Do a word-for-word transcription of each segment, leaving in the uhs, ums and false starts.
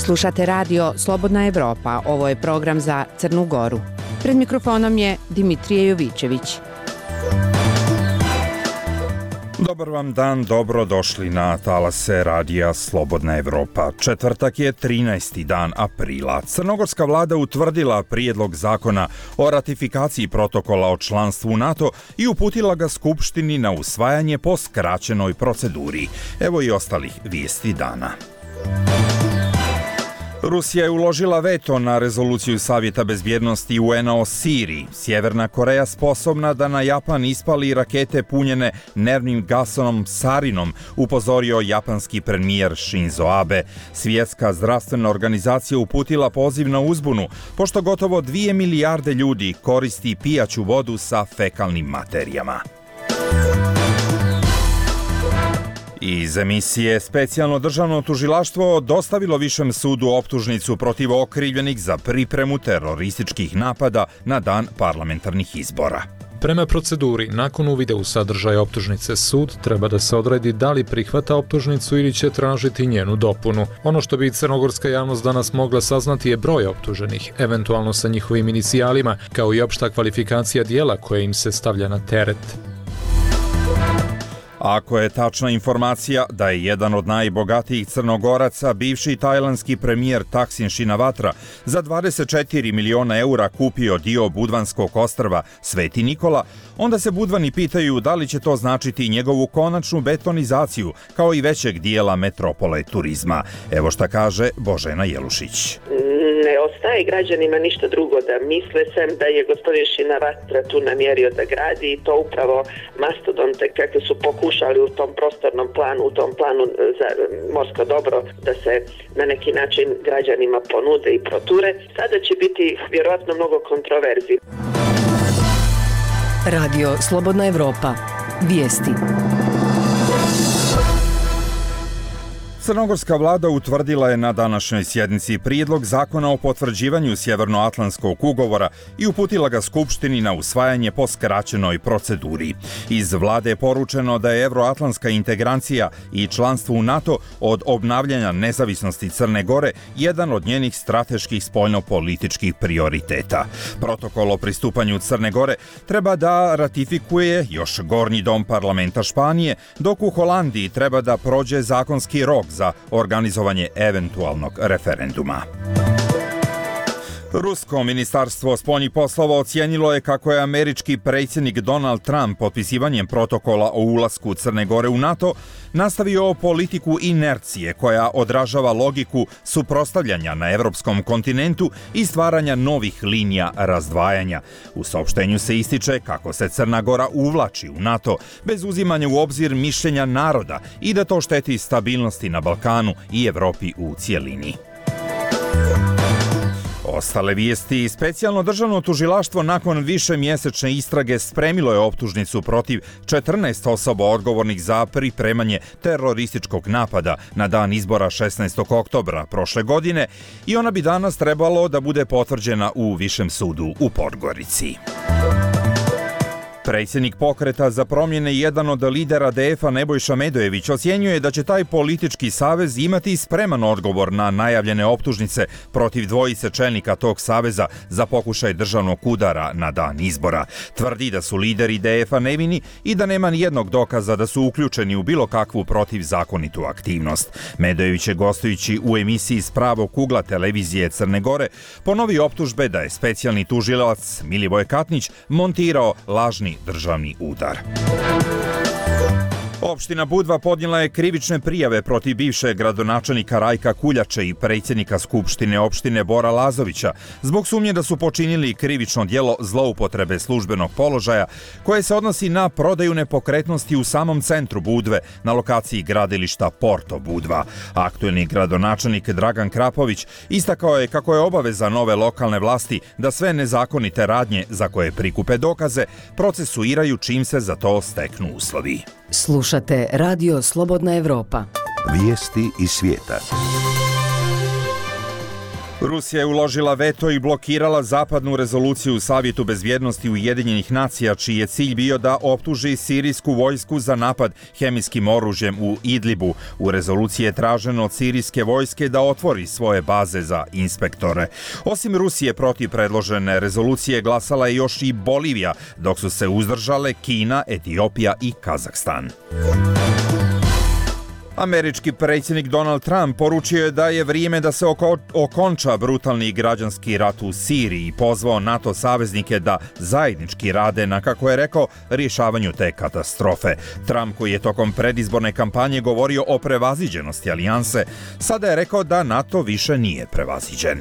Slušate radio Slobodna Evropa, ovo je program za Crnu Goru. Pred mikrofonom je Dimitrije Jovićević. Dobar vam dan, dobro došli na talase radija Slobodna Evropa. Četvrtak je trinaesti dan aprila. Crnogorska vlada utvrdila prijedlog zakona o ratifikaciji protokola o članstvu u NATO i uputila ga Skupštini na usvajanje po skraćenoj proceduri. Evo i ostalih vijesti dana. Rusija je uložila veto na rezoluciju Savjeta bezbjednosti U N-a o Siriji. Sjeverna Koreja sposobna da na Japan ispali rakete punjene nervnim gasom sarinom, upozorio japanski premijer Shinzo Abe. Svjetska zdravstvena organizacija uputila poziv na uzbunu, pošto gotovo dvije milijarde ljudi koristi pijaću vodu sa fekalnim materijama. Iz emisije specijalno državno tužilaštvo dostavilo Višem sudu optužnicu protiv okrivljenih za pripremu terorističkih napada na dan parlamentarnih izbora. Prema proceduri, nakon uvida u sadržaj optužnice, sud treba da se odredi da li prihvata optužnicu ili će tražiti njenu dopunu. Ono što bi crnogorska javnost danas mogla saznati je broj optuženih, eventualno sa njihovim inicijalima, kao i opšta kvalifikacija dijela koje im se stavlja na teret. Ako je tačna informacija da je jedan od najbogatijih Crnogoraca, bivši tajlandski premijer Thaksin Shinawatra, za dvadeset četiri miliona eura kupio dio Budvanskog ostrva Sveti Nikola, onda se Budvani pitaju da li će to značiti njegovu konačnu betonizaciju, kao i većeg dijela metropole turizma. Evo šta kaže Božena Jelušić. Ne ostaje građanima ništa drugo da misle sem da je gospodin Shinawatra tu namjerio da gradi i to upravo mastodonte kakve su pokušali u tom prostornom planu, u tom planu za morsko dobro da se na neki način građanima ponude i proture. Sada će biti vjerojatno mnogo kontroverzi. Radio Slobodna Evropa. Vijesti. Crnogorska vlada utvrdila je na današnjoj sjednici prijedlog zakona o potvrđivanju Sjevernoatlantskog ugovora i uputila ga Skupštini na usvajanje po skraćenoj proceduri. Iz vlade je poručeno da je evroatlantska integracija i članstvo u NATO od obnavljanja nezavisnosti Crne Gore jedan od njenih strateških spoljnopolitičkih prioriteta. Protokol o pristupanju Crne Gore treba da ratifikuje još Gornji dom parlamenta Španije, dok u Holandiji treba da prođe zakonski rok za organizovanje eventualnog referenduma. Rusko ministarstvo spoljnih poslova ocijenilo je kako je američki predsjednik Donald Trump potpisivanjem protokola o ulasku Crne Gore u NATO nastavio politiku inercije koja odražava logiku suprotstavljanja na evropskom kontinentu i stvaranja novih linija razdvajanja. U saopštenju se ističe kako se Crna Gora uvlači u NATO bez uzimanja u obzir mišljenja naroda i da to šteti stabilnosti na Balkanu i Evropi u cijelini. Ostale vijesti. Specijalno državno tužilaštvo nakon višemjesečne istrage spremilo je optužnicu protiv četrnaest osoba odgovornih za pripremanje terorističkog napada na dan izbora šesnaestog oktobra prošle godine i ona bi danas trebalo da bude potvrđena u Višem sudu u Podgorici. Predsjednik Pokreta za promjene i jedan od lidera D F-a Nebojša Medojević ocjenjuje da će taj politički savez imati spreman odgovor na najavljene optužnice protiv dvojice čelnika tog saveza za pokušaj državnog udara na dan izbora. Tvrdi da su lideri D F-a nevini i da nema nijednog dokaza da su uključeni u bilo kakvu protivzakonitu aktivnost. Medojević je gostujući u emisiji S pravog ugla televizije Crne Gore ponovio optužbe da je specijalni tužilac Milivoje Katnić montirao lažni državni udar. Opština Budva podnijela je krivične prijave protiv bivšeg gradonačelnika Rajka Kuljače i predsjednika Skupštine opštine Bora Lazovića zbog sumnje da su počinili krivično djelo zloupotrebe službenog položaja koje se odnosi na prodaju nepokretnosti u samom centru Budve na lokaciji gradilišta Porto Budva. Aktuelni gradonačelnik Dragan Krapović istakao je kako je obaveza nove lokalne vlasti da sve nezakonite radnje za koje prikupe dokaze procesuiraju čim se za to steknu uslovi. Slušate Radio Slobodna Evropa. Vijesti iz svijeta. Rusija je uložila veto i blokirala zapadnu rezoluciju u Savjetu bezbjednosti Ujedinjenih nacija, čiji je cilj bio da optuži sirijsku vojsku za napad hemijskim oružjem u Idlibu. U rezoluciji je traženo od sirijske vojske da otvori svoje baze za inspektore. Osim Rusije, protiv predložene rezolucije glasala je još i Bolivija, dok su se uzdržale Kina, Etiopija i Kazahstan. Američki predsjednik Donald Trump poručio je da je vrijeme da se oko, okonča brutalni građanski rat u Siriji i pozvao NATO saveznike da zajednički rade na, kako je rekao, rješavanju te katastrofe. Trump, koji je tokom predizborne kampanje govorio o prevaziđenosti alijanse, sada je rekao da NATO više nije prevaziđen.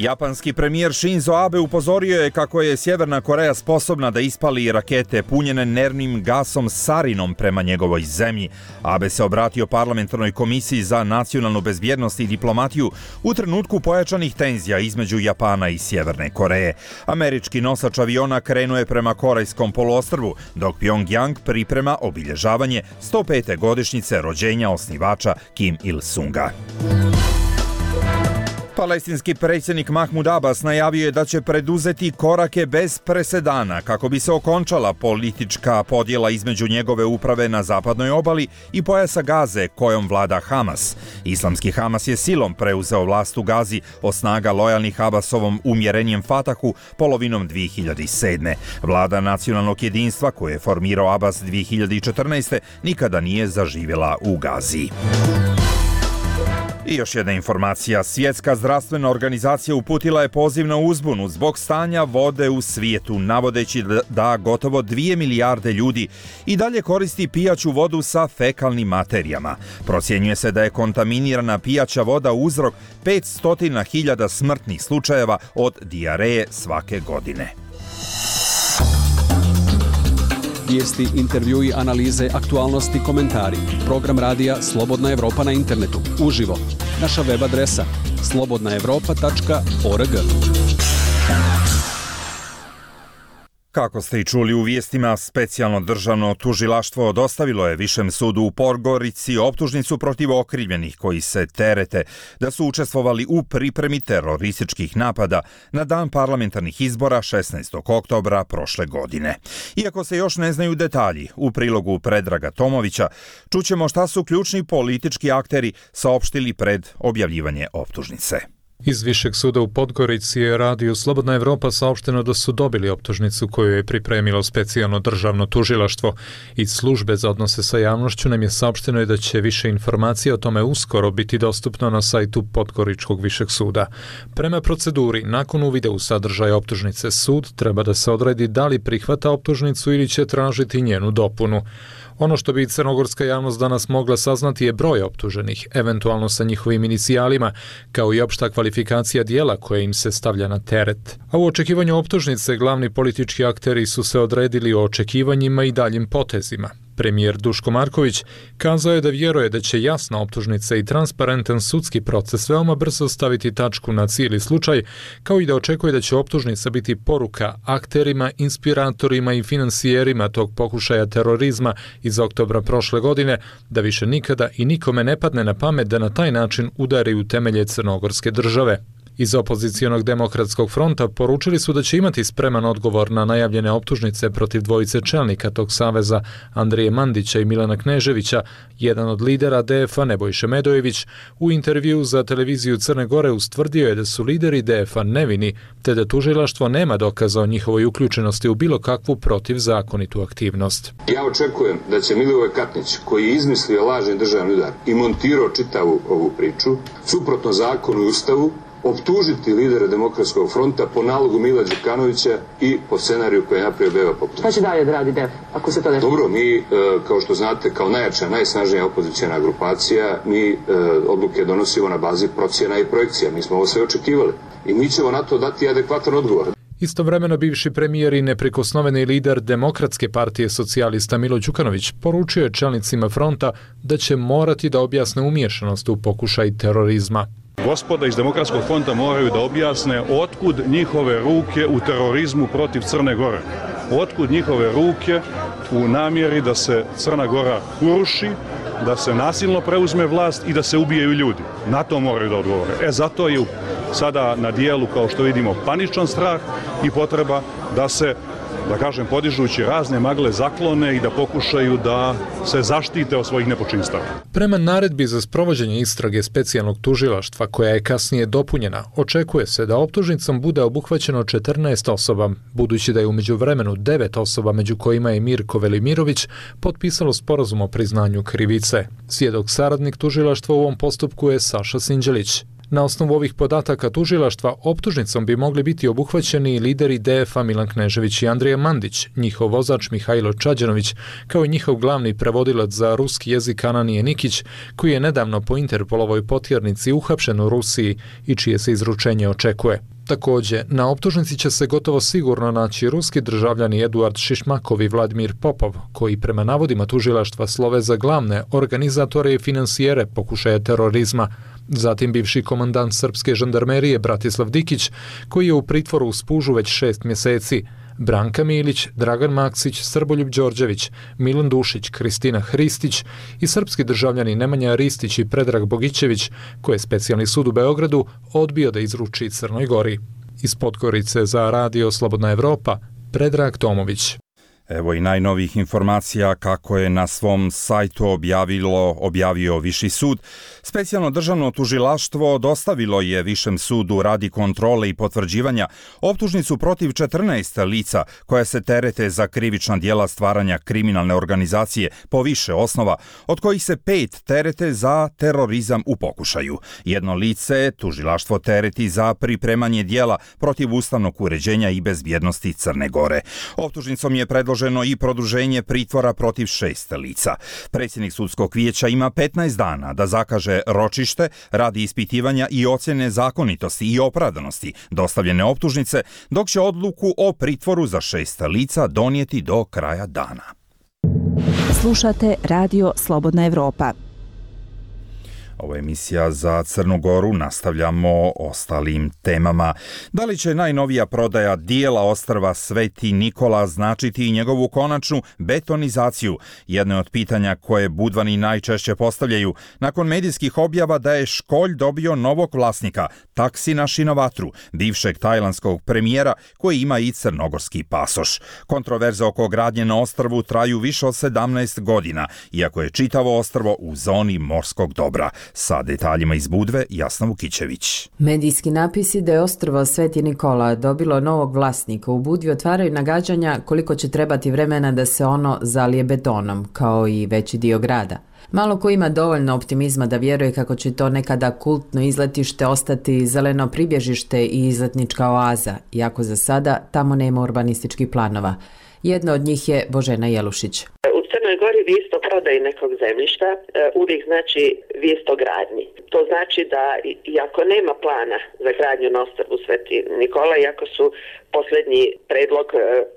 Japanski premijer Shinzo Abe upozorio je kako je Sjeverna Koreja sposobna da ispali rakete punjene nervnim gasom sarinom prema njegovoj zemlji. Abe se obratio parlamentarnoj komisiji za nacionalnu bezbjednost i diplomatiju u trenutku pojačanih tenzija između Japana i Sjeverne Koreje. Američki nosač aviona krenuo je prema Korejskom poluostrvu, dok Pyongyang priprema obilježavanje sto pete godišnjice rođenja osnivača Kim Il-sunga. Palestinski predsjednik Mahmud Abbas najavio je da će preduzeti korake bez presedana kako bi se okončala politička podjela između njegove uprave na zapadnoj obali i pojasa Gaze kojom vlada Hamas. Islamski Hamas je silom preuzeo vlast u Gazi od snaga lojalnih Abbasovom umjerenijem Fatahu polovinom dvije hiljade sedme. Vlada nacionalnog jedinstva koju je formirao Abbas dvije hiljade četrnaeste. nikada nije zaživjela u Gazi. I još jedna informacija. Svjetska zdravstvena organizacija uputila je poziv na uzbunu zbog stanja vode u svijetu, navodeći da gotovo dvije milijarde ljudi i dalje koristi pijaću vodu sa fekalnim materijama. Procjenjuje se da je kontaminirana pijaća voda uzrok petsto hiljada smrtnih slučajeva od dijareje svake godine. Vijesti, intervjui, analize, aktualnosti, komentari. Program radija Slobodna Evropa na internetu. Uživo. Naša web adresa slobodna evropa tačka org. Kako ste i čuli u vijestima, specijalno državno tužilaštvo dostavilo je Višem sudu u Podgorici optužnicu protiv okrivljenih koji se terete da su učestvovali u pripremi terorističkih napada na dan parlamentarnih izbora šesnaestog oktobra prošle godine. Iako se još ne znaju detalji, u prilogu Predraga Tomovića čućemo šta su ključni politički akteri saopštili pred objavljivanje optužnice. Iz Višeg suda u Podgorici je radiju Slobodna Evropa saopšteno da su dobili optužnicu koju je pripremilo specijalno državno tužilaštvo. Iz službe za odnose sa javnošću nam je saopšteno da će više informacija o tome uskoro biti dostupno na sajtu Podgoričkog Višeg suda. Prema proceduri, nakon uvida u sadržaj optužnice, sud treba da se odredi da li prihvata optužnicu ili će tražiti njenu dopunu. Ono što bi crnogorska javnost danas mogla saznati je broj optuženih, eventualno sa njihovim inicijalima, kao i opšta kvalifikacija dijela koje im se stavlja na teret. A u očekivanju optužnice glavni politički akteri su se odredili o očekivanjima i daljim potezima. Premijer Duško Marković kazao je da vjeruje da će jasna optužnica i transparentan sudski proces veoma brzo staviti tačku na cijeli slučaj, kao i da očekuje da će optužnica biti poruka akterima, inspiratorima i finansijerima tog pokušaja terorizma iz oktobra prošle godine, da više nikada i nikome ne padne na pamet da na taj način udari u temelje crnogorske države. Iz opozicionog demokratskog fronta poručili su da će imati spreman odgovor na najavljene optužnice protiv dvojice čelnika tog saveza, Andrije Mandića i Milana Kneževića. Jedan od lidera D F A, Nebojše Medojević, u intervju za televiziju Crne Gore ustvrdio je da su lideri D F A nevini, te da tužilaštvo nema dokaza o njihovoj uključenosti u bilo kakvu protivzakonitu aktivnost. Ja očekujem da će Milivoj Katnić, koji je izmislio lažni državni udar i montirao čitavu ovu priču, suprotno zakonu i ustavu, optužiti lidere Demokratskog fronta po nalogu Mila Đukanovića i po scenariju koji je napravio Beba Popčić. Šta će dalje da radi D E F, ako se to desi? Dobro, mi, kao što znate, kao najjača, najsnažnija opozicijna grupacija, mi odluke donosimo na bazi procjena i projekcija. Mi smo ovo sve očekivali i mi ćemo na to dati adekvatan odgovor. Istovremeno bivši premijer i neprikosnoveni lider Demokratske partije socijalista Milo Đukanović poručio je čelnicima fronta da će morati da objasne umiješanost u pokušaj terorizma. Gospoda iz Demokratskog fronta moraju da objasne otkud njihove ruke u terorizmu protiv Crne Gore. Otkud njihove ruke u namjeri da se Crna Gora uruši, da se nasilno preuzme vlast i da se ubijaju ljudi. Na to moraju da odgovore. E zato je sada na dijelu, kao što vidimo, paničan strah i potreba da se, da kažem, podižući razne magle zaklone i da pokušaju da se zaštite od svojih nepočinstava. Prema naredbi za sprovođenje istrage specijalnog tužilaštva, koja je kasnije dopunjena, očekuje se da optužnicom bude obuhvaćeno četrnaest osoba, budući da je u međuvremenu devet osoba, među kojima je Mirko Velimirović, potpisalo sporazum o priznanju krivice. Svjedok saradnik tužilaštva u ovom postupku je Saša Sinđelić. Na osnovu ovih podataka tužilaštva optužnicom bi mogli biti obuhvaćeni lideri D F A Milan Knežević i Andrija Mandić, njihov vozač Mihajlo Čađanović, kao i njihov glavni prevodilac za ruski jezik Ananije Nikić, koji je nedavno po Interpolovoj potjernici uhapšen u Rusiji i čije se izručenje očekuje. Također, na optužnici će se gotovo sigurno naći ruski državljani Eduard Šišmakov i Vladimir Popov, koji prema navodima tužilaštva slove za glavne organizatore i finansijere pokušaja terorizma. Zatim bivši komandant srpske žandarmerije Bratislav Dikić, koji je u pritvoru u Spužu već šest mjeseci, Branka Milić, Dragan Maksić, Srboljub Đorđević, Milan Dušić, Kristina Hristić i srpski državljani Nemanja Ristić i Predrag Bogićević, koje je specijalni sud u Beogradu odbio da izruči Crnoj Gori. Iz Podgorice za Radio Slobodna Evropa, Predrag Tomović. Evo i najnovijih informacija kako je na svom sajtu objavilo, objavio Viši sud. Specijalno državno tužilaštvo dostavilo je Višem sudu radi kontrole i potvrđivanja optužnicu protiv četrnaest lica koja se terete za krivična djela stvaranja kriminalne organizacije po više osnova, od kojih se pet terete za terorizam u pokušaju. Jedno lice tužilaštvo tereti za pripremanje djela protiv ustavnog uređenja i bezbjednosti Crne Gore. Optužnicom je predloženo i produženje pritvora protiv šest lica. Predsjednik sudskog vijeća ima petnaest dana da zakaže ročište radi ispitivanja i ocjene zakonitosti i opravdanosti dostavljene optužnice, dok će odluku o pritvoru za šest lica donijeti do kraja dana. Slušate Radio Slobodna Evropa. Ovo je emisija za Crnu Goru, nastavljamo ostalim temama. Da li će najnovija prodaja dijela ostrva Sveti Nikola značiti i njegovu konačnu betonizaciju? Jedno je od pitanja koje Budvani najčešće postavljaju nakon medijskih objava da je Školj dobio novog vlasnika, Taksina Šinovatru, bivšeg tajlandskog premijera koji ima i crnogorski pasoš. Kontroverze oko gradnje na ostrvu traju više od sedamnaest godina, iako je čitavo ostrvo u zoni morskog dobra. Sa detaljima iz Budve, Jasna Vukićević. Medijski napisi da je ostrvo Sveti Nikola dobilo novog vlasnika u Budvi otvaraju nagađanja koliko će trebati vremena da se ono zalije betonom, kao i veći dio grada. Malo ko ima dovoljno optimizma da vjeruje kako će to nekada kultno izletište ostati zeleno pribježište i izletnička oaza, iako za sada tamo nema urbanističkih planova. Jedna od njih je Božena Jelušić. U Crnoj Gori vijest o prodaji nekog zemljišta uvijek znači vijest o gradnji. To znači da iako nema plana za gradnju na ostrvu Sveti Nikola, iako su posljednji predlog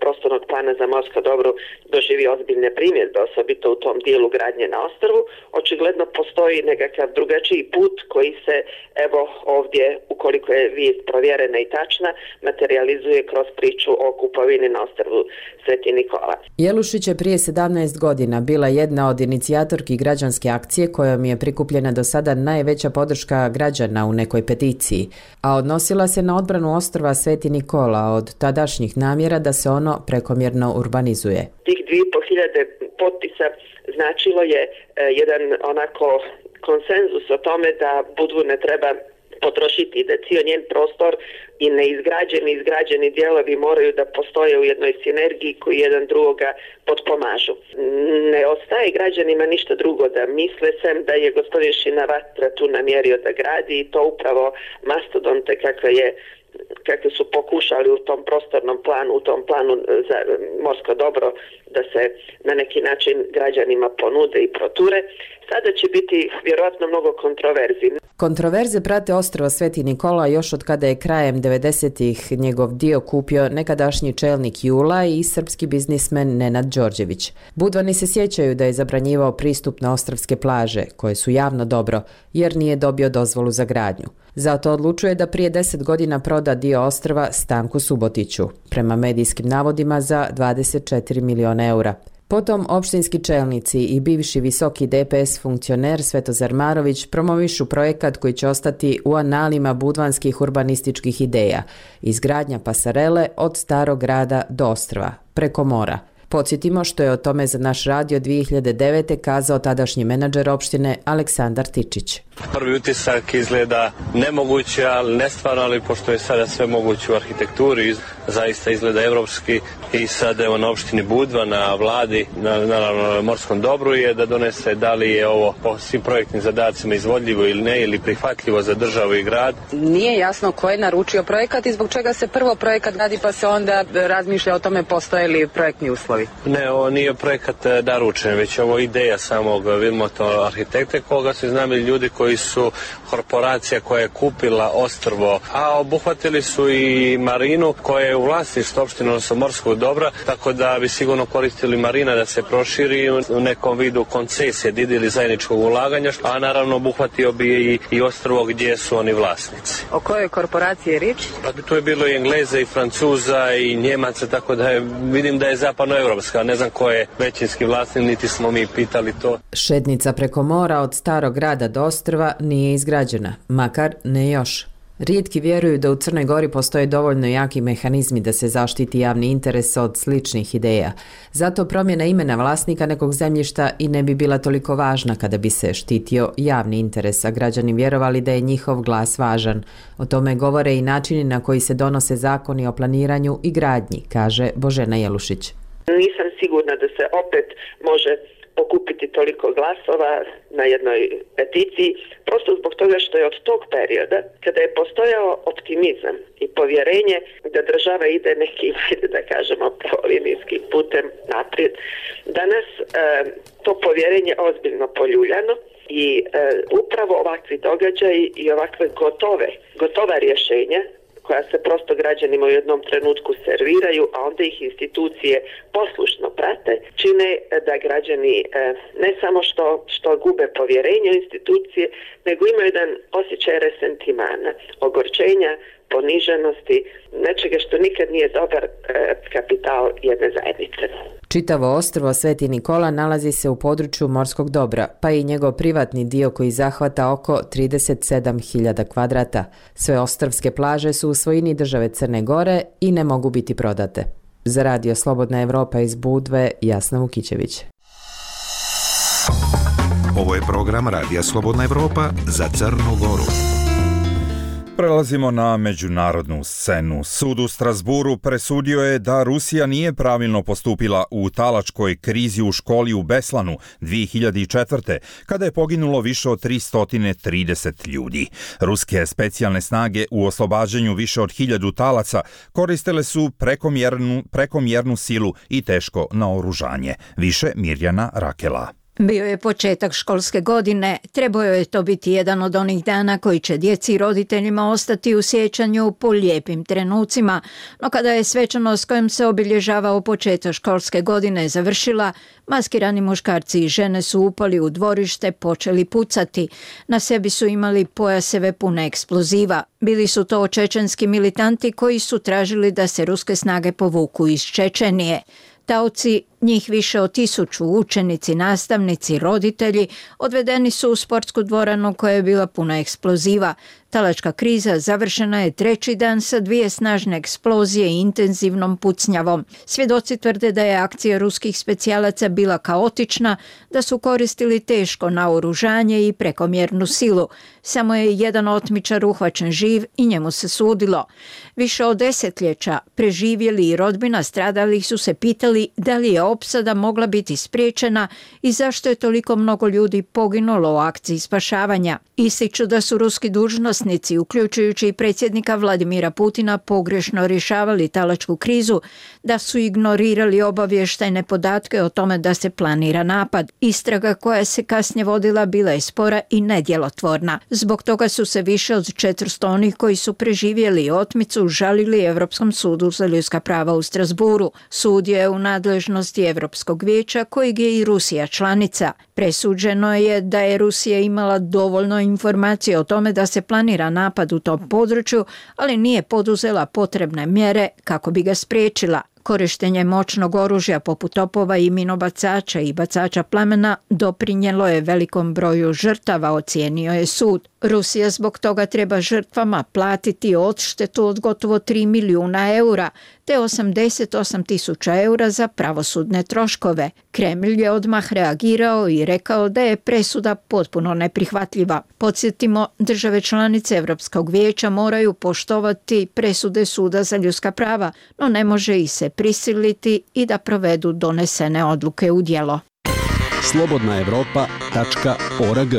prostornog plana za morsko dobro doživio ozbiljne primjedbe, osobito u tom dijelu gradnje na ostrvu, očigledno postoji nekakav drugačiji put koji se, evo ovdje, ukoliko je vijest provjerena i tačna, materializuje kroz priču o kupovini na ostrvu Sveti Nikola. Jelušić je prije sedamnaest godina bila jedna od inicijatorki građanske akcije kojom je prikupljena do sada najveća podrška građana u nekoj peticiji, a odnosila se na odbranu ostrva Sveti Nikola od tadašnjih namjera da se ono prekomjerno urbanizuje. Tih dvije i pol hiljade potpisa značilo je e, jedan onako konsenzus o tome da Budvu ne treba potrošiti, da cijel njen prostor i neizgrađeni i izgrađeni dijelovi moraju da postoje u jednoj sinergiji koji jedan drugoga potpomažu. Ne ostaje građanima ništa drugo da misle sem da je gospodin Šinavatra tu namjerio da gradi i to upravo mastodonte kakve je kakve su pokušali u tom prostornom planu, u tom planu za morsko dobro da se na neki način građanima ponude i proture. Sada će biti vjerojatno mnogo kontroverzi. Kontroverze prate ostrvo Sveti Nikola još od kada je krajem devedesetih njegov dio kupio nekadašnji čelnik Jula i srpski biznismen Nenad Đorđević. Budvani se sjećaju da je zabranjivao pristup na ostrvske plaže, koje su javno dobro, jer nije dobio dozvolu za gradnju. Zato odlučuje da prije deset godina proda dio ostrva Stanku Subotiću, prema medijskim navodima za dvadeset četiri miliona eura. Potom opštinski čelnici i bivši visoki D P S funkcioner Svetozar Marović promovišu projekat koji će ostati u analima budvanskih urbanističkih ideja, izgradnja pasarele od Starog grada do Ostrva, preko mora. Podsjetimo što je o tome za naš radio dvije hiljade devete kazao tadašnji menadžer opštine Aleksandar Tičić. Prvi utisak izgleda nemoguće, ali nestvarno, ali pošto je sada sve moguće u arhitekturi, zaista izgleda evropski i sada evo na opštini Budva, na vladi, na, naravno na morskom dobru je da donese da li je ovo po svim projektnim zadacima izvodljivo ili ne, ili prihvatljivo za državu i grad. Nije jasno ko je naručio projekat i zbog čega se prvo projekat radi pa se onda razmišlja o tome postoje li projektni uslovi. Ne, ovo nije projekat naručen, već ovo ideja samog Vilmoto arhitekte koga su iznajmili ljudi koji su korporacija koja je kupila ostrvo, a obuhvatili su i marinu koja je u vlasništvu opštine, odnosno morskog dobra, tako da bi sigurno koristili marina da se proširi u nekom vidu koncesije, ili zajedničkog ulaganja, a naravno obuhvatio bi i, i ostrvo gdje su oni vlasnici. O kojoj korporaciji je riječ? Pa tu je bilo i Engleza i Francuza i Njemaca, tako da je, vidim da je zapadnoevropska, ne znam ko je većinski vlasnik, niti smo mi pitali to. Šetnica preko mora od Starog grada do Ostrva nije izgrađena, makar ne još. Rijetki vjeruju da u Crnoj Gori postoje dovoljno jaki mehanizmi da se zaštiti javni interes od sličnih ideja. Zato promjena imena vlasnika nekog zemljišta i ne bi bila toliko važna kada bi se štitio javni interes, a građani vjerovali da je njihov glas važan. O tome govore i načini na koji se donose zakoni o planiranju i gradnji, kaže Božena Jelušić. Nisam sigurna da se opet može pokupiti toliko glasova na jednoj peticiji, prosto zbog toga što je od tog perioda, kada je postojao optimizam i povjerenje da država ide nekim, da kažemo, pravolinijskim putem naprijed, danas e, to povjerenje ozbiljno poljuljano i e, upravo ovakvi događaji i ovakve gotove, gotova rješenja koja se prosto građanima u jednom trenutku serviraju, a onda ih institucije poslušno prate, čine da građani ne samo što, što gube povjerenje u institucije, nego imaju jedan osjećaj resentimana, ogorčenja, poniženosti, nečega što nikad nije dobar kapital jedne zajednice. Čitavo ostrvo Sveti Nikola nalazi se u području morskog dobra, pa i njegov privatni dio koji zahvata oko trideset sedam hiljada kvadrata. Sve ostrvske plaže su u svojini države Crne Gore i ne mogu biti prodate. Za radio Slobodna Evropa iz Budve, Jasna Vukićević. Ovo je program Radija Slobodna Evropa za Crnu Goru. Prelazimo na međunarodnu scenu. Sud u Strasburu presudio je da Rusija nije pravilno postupila u talačkoj krizi u školi u Beslanu dvije hiljade četvrte. kada je poginulo više od tristo trideset ljudi. Ruske specijalne snage u oslobađanju više od hiljadu talaca koristile su prekomjernu, prekomjernu silu i teško naoružanje. Više Mirjana Rakela. Bio je početak školske godine, trebao je to biti jedan od onih dana koji će djeci i roditeljima ostati u sjećanju po lijepim trenucima, no kada je svečanost kojom se obilježavao početak školske godine završila, maskirani muškarci i žene su upali u dvorište, počeli pucati. Na sebi su imali pojaseve pune eksploziva. Bili su to čečenski militanti koji su tražili da se ruske snage povuku iz Čečenije. Taoci, njih više od tisuću, učenici, nastavnici, roditelji, odvedeni su u sportsku dvoranu koja je bila puna eksploziva. Talačka kriza završena je treći dan sa dvije snažne eksplozije i intenzivnom pucnjavom. Svjedoci tvrde da je akcija ruskih specijalaca bila kaotična, da su koristili teško naoružanje i prekomjernu silu. Samo je jedan otmičar uhvaćen živ i njemu se sudilo. Više od desetljeća preživjeli i rodbina stradalih su se pitali da li je opsada mogla biti spriječena i zašto je toliko mnogo ljudi poginulo u akciji spašavanja. Ističu da su ruski dužnosnici, uključujući i predsjednika Vladimira Putina, pogrešno rješavali talačku krizu, da su ignorirali obavještajne podatke o tome da se planira napad. Istraga koja se kasnije vodila bila je spora i nedjelotvorna. Zbog toga su se više od četiristo onih koji su preživjeli otmicu žalili Europskom sudu za ljudska prava u Strasburu. Sud je u nadležnosti Europskog vijeća kojeg je i Rusija članica. Presuđeno je da je Rusija imala dovoljno informacije o tome da se planira napad u tom području, ali nije poduzela potrebne mjere kako bi ga spriječila. Korištenje moćnog oružja poput topova i minobacača i bacača plamena doprinjelo je velikom broju žrtava, ocijenio je sud. Rusija zbog toga treba žrtvama platiti odštetu od gotovo tri milijuna eura, te osamdeset osam tisuća eura za pravosudne troškove. Kremlj je odmah reagirao i rekao da je presuda potpuno neprihvatljiva. Podsjetimo, države članice Europskog vijeća moraju poštovati presude Suda za ljudska prava, no ne može ih se prisiliti i da provedu donesene odluke u djelo. slobodna evropa tačka org.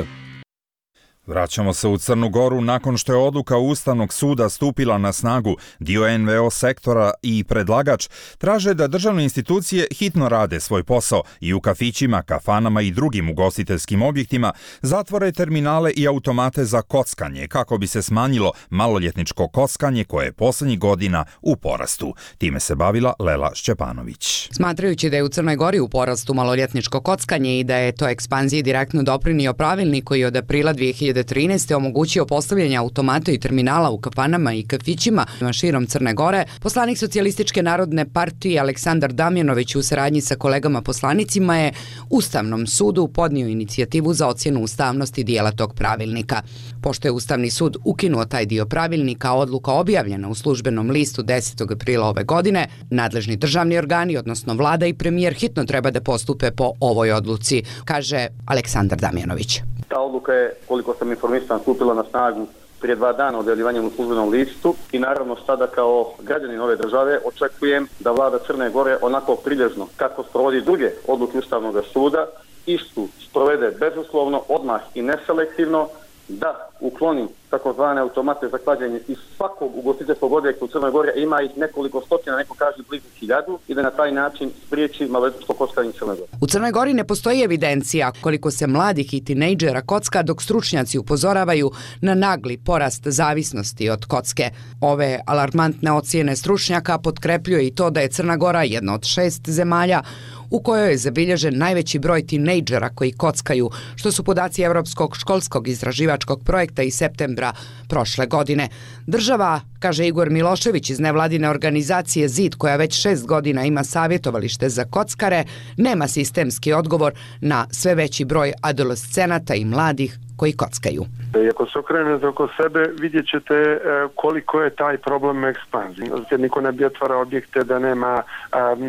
Vraćamo se u Crnu Goru. Nakon što je odluka Ustavnog suda stupila na snagu, dio en ve o sektora i predlagač traže da državne institucije hitno rade svoj posao i u kafićima, kafanama i drugim ugostiteljskim objektima zatvore terminale i automate za kockanje kako bi se smanjilo maloljetničko kockanje koje je poslednjih godina u porastu. Time se bavila Lela Šćepanović. Smatrajući da je u Crnoj Gori u porastu maloljetničko kockanje i da je to ekspanziji direktno doprinio pravilnik koji od aprila dve hiljade trinaeste. omogućio postavljanje automata i terminala u kafanama i kafićima širom Crne Gore, poslanik Socijalističke narodne partije Aleksandar Damjanović u saradnji sa kolegama poslanicima je Ustavnom sudu podnio inicijativu za ocjenu ustavnosti dijela tog pravilnika. Pošto je Ustavni sud ukinuo taj dio pravilnika, odluka objavljena u službenom listu desetog aprila ove godine, nadležni državni organi, odnosno vlada i premijer, hitno treba da postupe po ovoj odluci, kaže Aleksandar Damjanović. Ta odluka je, koliko sam informisan, stupila na snagu prije dva dana objavljivanjem u službenom listu i naravno sada kao građanin ove države očekujem da vlada Crne Gore onako prilježno kako sprovodi druge odluke Ustavnog suda istu sprovede bezuslovno, odmah i neselektivno, da ukloni takozvane automate za klađenje iz svakog ugostiteljskog objekta u Crnoj Gori, ima ih nekoliko stotina, neko kaže blizu hiljadu, i da na taj način spriječi maloljetničko kockanje u Crnoj Gori. U Crnoj Gori ne postoji evidencija koliko se mladih i tinejdžera kocka, dok stručnjaci upozoravaju na nagli porast zavisnosti od kocke. Ove alarmantne ocjene stručnjaka potkrepljuje i to da je Crna Gora jedna od šest zemalja u kojoj je zabilježen najveći broj tinejdžera koji kockaju, što su podaci Evropskog školskog istraživačkog projekta iz septembra prošle godine. Država, kaže Igor Milošević iz nevladine organizacije ZID, koja već šest godina ima savjetovalište za kockare, nema sistemski odgovor na sve veći broj adolescenata i mladih koji kockaju. I ako se okrenete oko sebe, vidjet ćete koliko je taj problem ekspanzije. Jer niko ne bi otvarao objekte da nema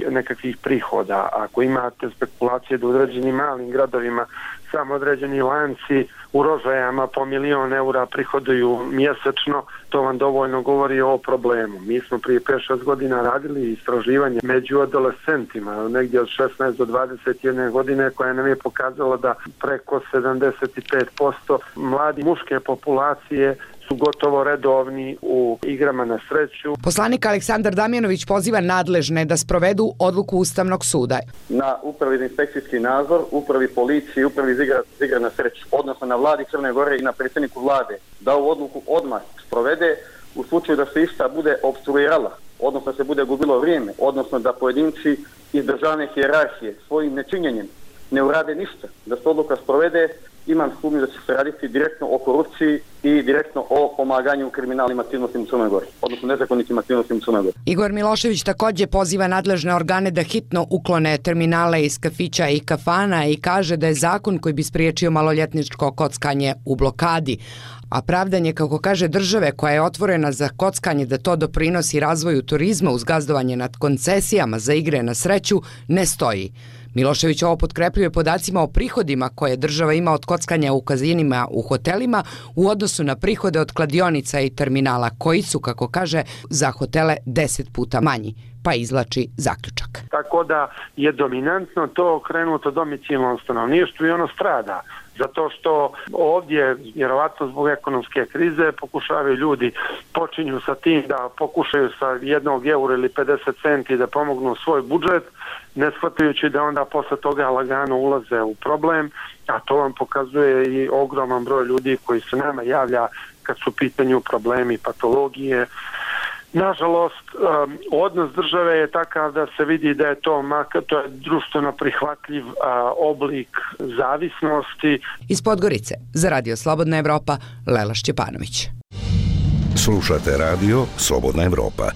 nekakvih prihoda. Ako imate spekulacije da u određenim malim gradovima samo određeni lanci u Rožajama po milion eura prihoduju mjesečno, to vam dovoljno govori o problemu. Mi smo prije pet šest godina radili istraživanje među adolescentima, negdje od šesnaest do dvadeset jedne godine, koja nam je pokazala da preko sedamdeset pet posto mladi muške populacije su gotovo redovni u igrama na sreću. Poslanik Aleksandar Damjanović poziva nadležne da sprovedu odluku Ustavnog suda. Na upravi za inspekcijski nadzor, upravi policije, upravi za igre na sreću, odnosno na vladi Crne Gore i na predsjedniku vlade, da ovu odluku odmah sprovede u slučaju da se ista bude opstruirala, odnosno da se bude gubilo vrijeme, odnosno da pojedinci iz državne hijerarhije svojim nečinjenjem ne urade ništa, da se odluka sprovede. Imam sumnju da će se raditi direktno o korupciji i direktno o pomaganju kriminalnim aktivnostima u Crnoj Gori, odnosno nezakonitim aktivnostima u Crnoj Gori. Igor Milošević također poziva nadležne organe da hitno uklone terminale iz kafića i kafana i kaže da je zakon koji bi spriječio maloljetničko kockanje u blokadi. A pravdanje, kako kaže države koja je otvorena za kockanje, da to doprinosi razvoju turizma uz gazdovanje nad koncesijama za igre na sreću, ne stoji. Milošević ovo potkrepljuje podacima o prihodima koje država ima od kockanja u kazinima u hotelima u odnosu na prihode od kladionica i terminala, koji su, kako kaže, za hotele deset puta manji, pa izlači zaključak. Tako da je dominantno to okrenuto domicilnom stanovništvu i ono strada. Zato što ovdje, vjerovatno zbog ekonomske krize, pokušavaju ljudi, počinju sa tim da pokušaju sa jednog eura ili pedeset centi da pomognu svoj budžet, ne shvatajući da onda posle toga lagano ulaze u problem, a to vam pokazuje i ogroman broj ljudi koji se nama javlja kad su u pitanju problemi, patologije. Nažalost, um, odnos države je takav da se vidi da je to, makar, to je društveno prihvatljiv uh, oblik zavisnosti. Iz Podgorice, za Radio Slobodna Evropa, Lela Šćepanović. Slušate Radio Slobodna Evropa.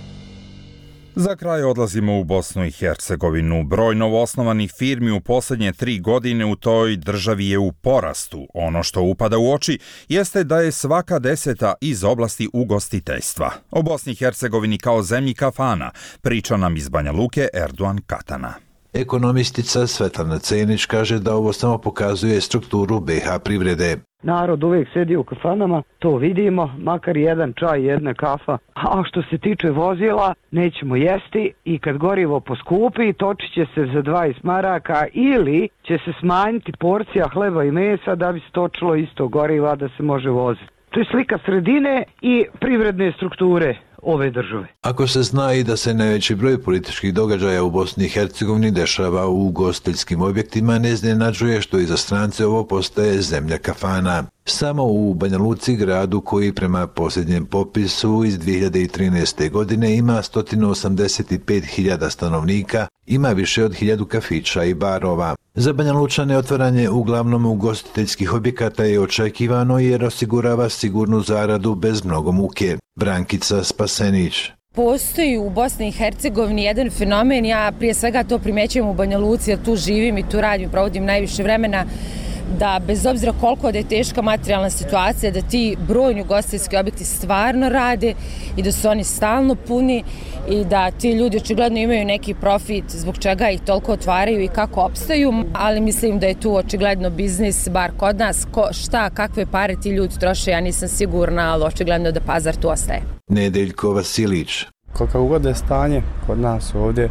Za kraj odlazimo u Bosnu i Hercegovinu. Broj novoosnovanih firmi u posljednje tri godine u toj državi je u porastu. Ono što upada u oči jeste da je svaka deseta iz oblasti ugostiteljstva. O Bosni i Hercegovini kao zemlji kafana priča nam iz Banja Luke Erdogan Katana. Ekonomistica Svetlana Cenić kaže da ovo samo pokazuje strukturu be ha privrede. Narod uvijek sedi u kafanama, to vidimo, makar jedan čaj, jedna kafa. A što se tiče vozila, nećemo jesti i kad gorivo poskupi, točit će se za dvadeset maraka ili će se smanjiti porcija hleba i mesa da bi se točilo isto goriva da se može voziti. To je slika sredine i privredne strukture ove države. Ako se zna i da se najveći broj političkih događaja u Bosni i Hercegovini dešava u ugostiteljskim objektima, ne iznenađuje što i za strance ovo postaje zemlja kafana. Samo u Banja Luci, gradu koji prema posljednjem popisu iz dvije hiljade trinaeste. godine ima sto osamdeset pet hiljada stanovnika, ima više od hiljadu kafića i barova. Za Banja Lučane otvaranje uglavnom ugostiteljskih objekata je očekivano jer osigurava sigurnu zaradu bez mnogo muke. Brankica Spasenić. Postoji u Bosni i Hercegovini jedan fenomen, ja prije svega to primjećujem u Banja Luci, jer tu živim i tu radim, provodim najviše vremena, da bez obzira koliko da je teška materijalna situacija, da ti brojni ugostiteljski objekti stvarno rade i da su oni stalno puni i da ti ljudi očigledno imaju neki profit zbog čega ih toliko otvaraju i kako opstaju, ali mislim da je tu očigledno biznis, bar kod nas, ko, šta, kakve pare ti ljudi troše, ja nisam sigurna, ali očigledno da pazar tu ostaje. Nedeljko Vasilić. Kako god je stanje kod nas ovdje,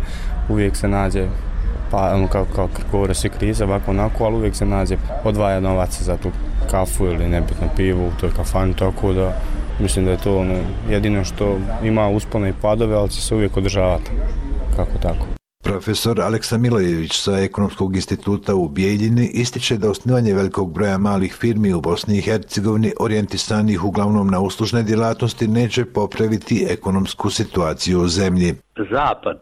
uvijek se nađe, pa ono kao, kao govore svi krize, ovako onako, ali uvijek se nađe odvaja novaca za tu kafu ili nebitno pivu u toj kafani, tako da mislim da je to ono, jedino što ima uspone i padove, ali će se uvijek održavati, kako tako. Profesor Aleksa Milojević sa Ekonomskog instituta u Bijeljini ističe da osnivanje velikog broja malih firmi u Bosni i Hercegovini orijentisanih uglavnom na uslužne djelatnosti neće popraviti ekonomsku situaciju u zemlji. Zapad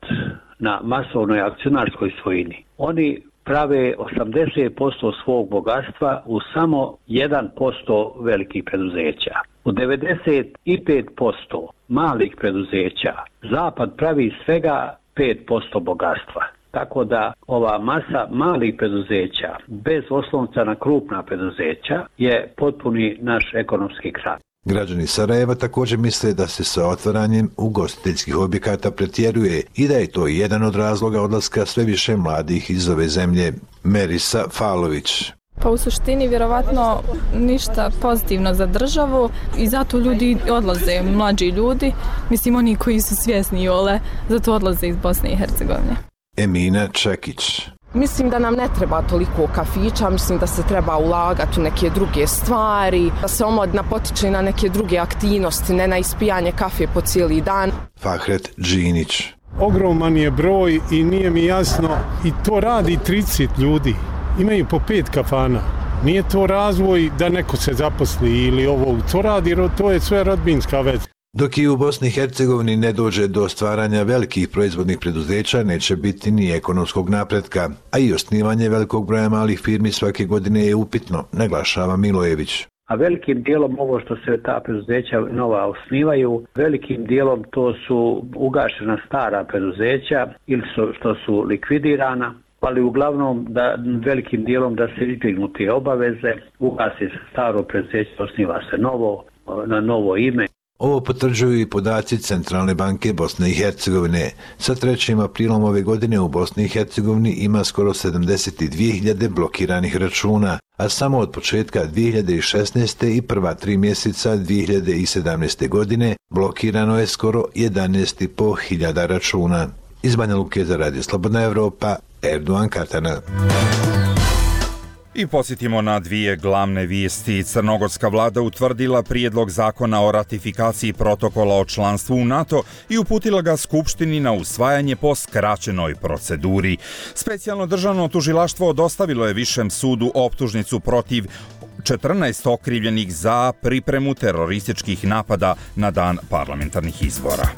na masovnoj akcionarskoj svojini, oni prave osamdeset posto svog bogatstva u samo jedan posto velikih preduzeća. U devedeset pet posto malih preduzeća Zapad pravi svega pet posto bogatstva. Tako da ova masa malih preduzeća bez oslonca na krupna preduzeća je potpuni naš ekonomski krah. Građani Sarajeva također misle da se sa otvaranjem ugostiteljskih objekata pretjeruje i da je to jedan od razloga odlaska sve više mladih iz ove zemlje. Merisa Falović. Pa u suštini vjerovatno ništa pozitivno za državu i zato ljudi odlaze, mlađi ljudi, mislim oni koji su svjesni ole, zato odlaze iz Bosne i Hercegovine. Emina Čekić. Mislim da nam ne treba toliko kafića, mislim da se treba ulagati u neke druge stvari, da se omladina potiče na neke druge aktivnosti, ne na ispijanje kafe po cijeli dan. Fahret Džinić. Ogroman je broj i nije mi jasno, i to radi trideset ljudi. Imaju po pet kafana. Nije to razvoj da neko se zaposli ili ovo, to radi, to je sve rodbinska veza. Dok i u Bosni i Hercegovini ne dođe do stvaranja velikih proizvodnih preduzeća, neće biti ni ekonomskog napretka, a i osnivanje velikog broja malih firmi svake godine je upitno, naglašava Milojević. A velikim dijelom ovo što se ta preduzeća nova osnivaju, velikim dijelom to su ugašena stara preduzeća ili su, što su likvidirana, ali uglavnom da velikim dijelom da se izbjegnu te obaveze, ugasi se staro preduzeće, osniva se novo, na novo ime. Ovo potvrđuju i podaci Centralne banke Bosne i Hercegovine. Sa trećim aprilom ove godine u Bosni i Hercegovini ima skoro sedamdeset dvije hiljade blokiranih računa, a samo od početka dvije hiljade šesnaeste. i prva tri mjeseca dvije hiljade sedamnaeste. godine blokirano je skoro jedanaest i pol hiljada računa. Iz Banja Luke za Radio Slobodna Evropa, Erdogan Katana. I podsjetimo na dvije glavne vijesti. Crnogorska vlada utvrdila prijedlog zakona o ratifikaciji protokola o članstvu u NATO i uputila ga Skupštini na usvajanje po skraćenoj proceduri. Specijalno državno tužilaštvo dostavilo je Višem sudu optužnicu protiv četrnaest okrivljenih za pripremu terorističkih napada na dan parlamentarnih izbora.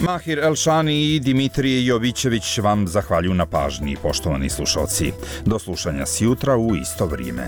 Mahir Elšani i Dimitrije Jovićević vam zahvaljuju na pažnji, poštovani slušalci. Do slušanja sjutra u isto vrijeme.